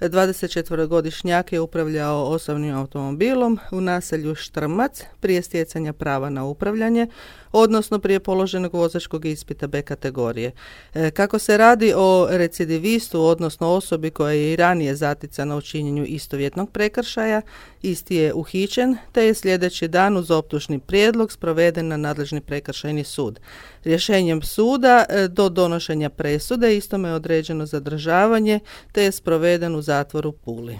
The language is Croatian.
24-godišnjak je upravljao osobnim automobilom u naselju Štrmac prije stjecanja prava na upravljanje, odnosno prije položenog vozačkog ispita B kategorije. Kako se radi o recidivistu, odnosno osobi koja je i ranije zaticana u činjenju istovjetnog prekršaja, isti je uhićen, te je sljedeći dan uz optužni prijedlog sproveden na nadležni prekršajni sud. Rješenjem suda do donošenja presude istome je određeno zadržavanje, te je sproveden u zatvoru Puli.